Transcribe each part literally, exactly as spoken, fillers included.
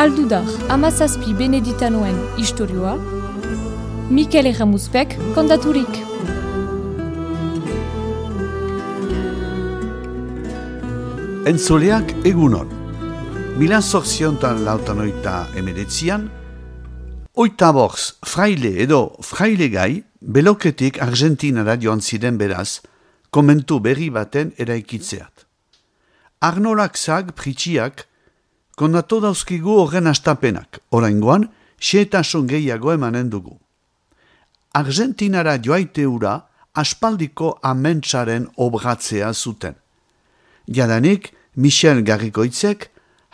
Aldudar hamazazpi beneditanoen istorioa, Mikel Erramuzpek kontaturik. Entzuleak egunon. Mila zortziontan lautanoita emeretzian, oita borz fraile edo fraile gai, beloketik Argentinara joan ziren beraz, komentu berri baten eraikitzeat. Arnolak zag pritxiak, kondatu dauzkigu horren astapenak, oraingoan, xeetasun gehiago emanen dugu. Argentinara joaite ura, aspaldiko amentsaren obratzea zuten. Jadanik, Michel Garrikoitzek,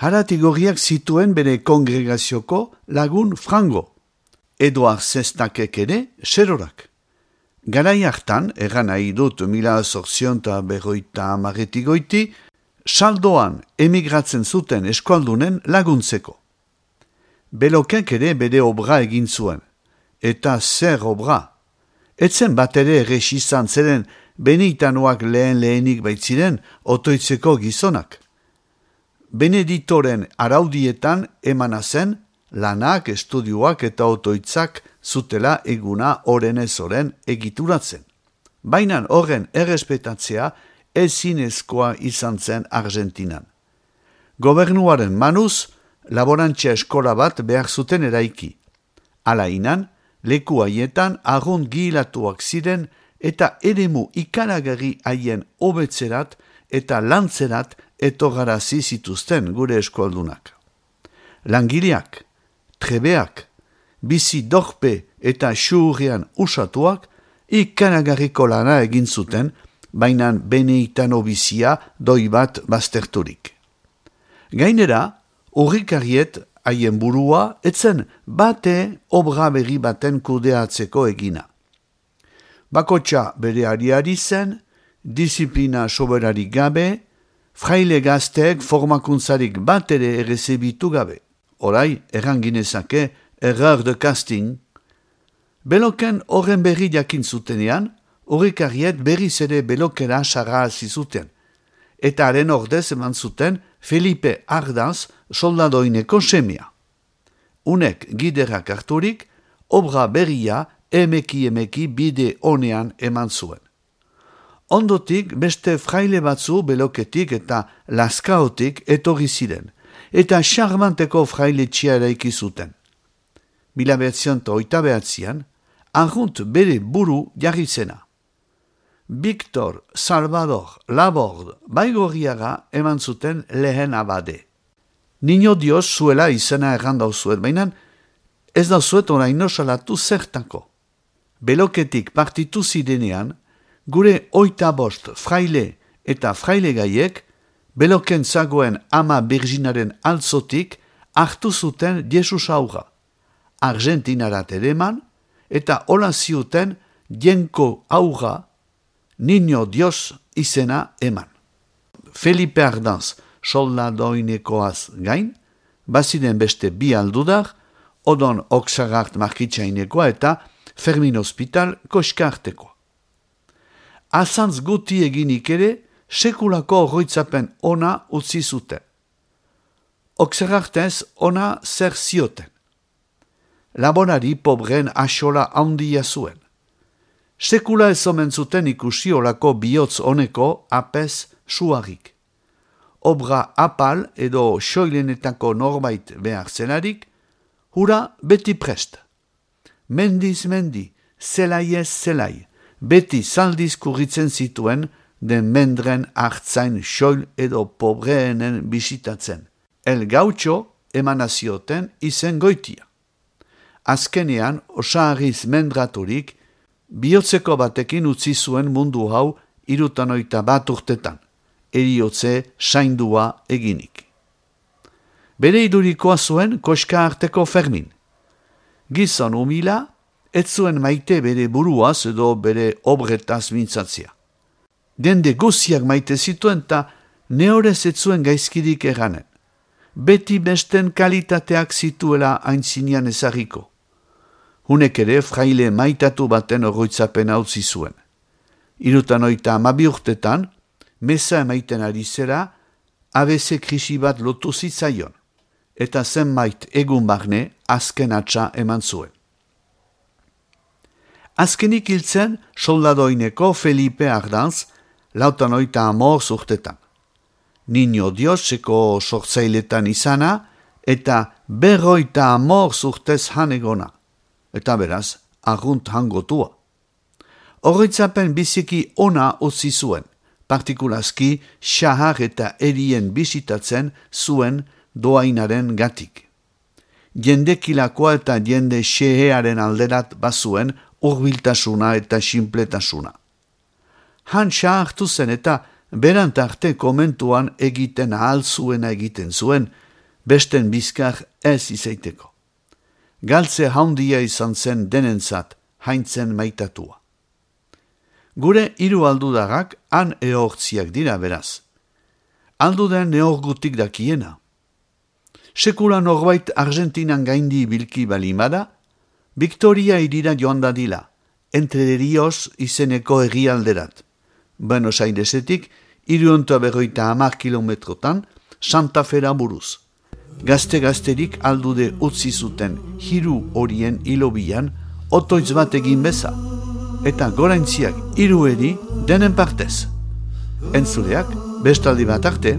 haratigorriak zituen bere kongregazioko lagun frango. Eduard Zestakek ere, serorak. Garai hartan, erran nahi dut mila zortzionta berroita amarretigoiti, saldoan emigratzen zuten eskualdunen laguntzeko. Belokek ere bere obra egin zuen. Eta zer obra? Etzen bat ere errex izan zeren Beneditanoak lehen lehenik baitziren otoitzeko gizonak. Beneditoren araudietan emana zen lanak, estudioak eta otoitzak zutela eguna orenez oren egituratzen. Baina horren errespetatzea ezinezkoa izan zen Argentinan. Gobernuaren manuz, laborantzia eskola bat behar zuten eraiki. Hala inan, leku haietan arrunt gihilatuak ziren eta eremu ikaragarri haien hobetzerat eta lantzerat etogarazi zituzten gure eskualdunak. Langileak, trebeak, bizi dorpe eta xurrian usatuak ikaragarriko lana egin zuten, bainan Beneditano bizia doi bat bazterturik. Gainera, urrikariet haien burua etzen bate obra berri baten kudeatzeko egina. Bakotxa bere ariari zen, disiplina soberarik gabe, fraile gazteek formakuntzarik bat ere errezebitu gabe. Orai, erranginezake, erreur de casting. Beloken horren berri jakin zutenean, urrikariet berriz ere belokera sarrazi zuten. Eta haren ordez eman zuten Felipe Ardaz soldadoineko semia. Unek giderak harturik, obra berria emeki emeki bide honean eman zuen. Ondotik beste fraile batzu beloketik eta laskaotik etorri ziren, eta charmanteko fraile txia eraiki zuten. Mila behatzion eta oita behatzian, arrunt bere buru jarri zena. Victor Salvador Laborde Baigorriaga eman zuten lehen abade. Niño Dios zuela izena errandau zuet, baina ez da zuet oraino salatu zertako. Beloketik partitu zidenean, gure oita bost fraile eta fraile gaiek, beloken zagoen ama Birginaren altzotik hartu zuten Jesus aurra. Argentinarat ereman eta hola ziuten jenko aurra Niño Dios izena eman. Felipe Ardaz soldadoinekoaz gain, baziren beste bi aldudar, Odon Oksagart markitsainekoa eta Fermin Hospital koskartekoa. Azantz guti eginik ere, sekulako horroitzapen ona utzi zuten. Oksagartez ona zer zioten. Laborari pobren asola handia zuen. Sekula ez omen zuten ikusi olako bihotz honeko apez suarik. Obra apal edo soilenetako norbait behar zelarik, hura beti prest. Mendiz mendi, zelai ez zelai, beti zaldiz kurritzen zituen den mendren hartzain soil edo pobreenen bisitatzen. El gautxo emanazioten izen goitia. Azkenean, osaharriz mendraturik, bihotzeko batekin utzi zuen mundu hau irutanoita bat urtetan, eriotze saindua eginik. Bere idurikoa zuen koska arteko Fermin. Gizon humila, ez zuen maite bere buruaz edo bere obretaz mintzatzea. Dende guziak maite zituen eta neorez ez zuen gaizkirik erranen. Beti besten kalitateak zituela aintzinean ezagiko. Hunek ere fraile maitatu baten oroitzapena utzi zuen. Irutanoita amabi urtetan, meza emaiten ari zera, A B C krisi bat lotu zitzaion. eta zenbait egun barne azken atxa eman zuen. Azkenik hiltzen soldadoineko Felipe Ardanz, lautan oita amor zurtetan. Niño Dioseko sortzailetan izana, eta berroita amor zurtez hanegona, eta beraz, argunt hangotua. Horritzapen biziki ona utzi zuen, partikulazki xahar eta erien bisitatzen zuen doainaren gatik. Jendekilakoa eta jende xehearen alderat bazuen urbiltasuna eta sinpletasuna. Han xahartu zen eta berantarte komentuan egiten ahal zuena egiten zuen, besten bizkar ez izaiteko. Galtze haundia izan zen denentzat, haintzen maitatua. Gure hiru aldudarrak han ehortziak dira beraz. Alduden ehorgutik dakiena. Sekula norbait Argentinan gaindi bilki balimada, Victoria irira joan dadila, Entre Rios izeneko herrialderat. Buenos Airesetik, irunta berroita hamar kilometrotan, Santa Fera buruz. Gazte-gazterik aldude utzi zuten hiru horien hilobian, otoitz bat egin beza. Eta goraintziak hiru eri denen partez. Entzuleak, bestaldi bat arte,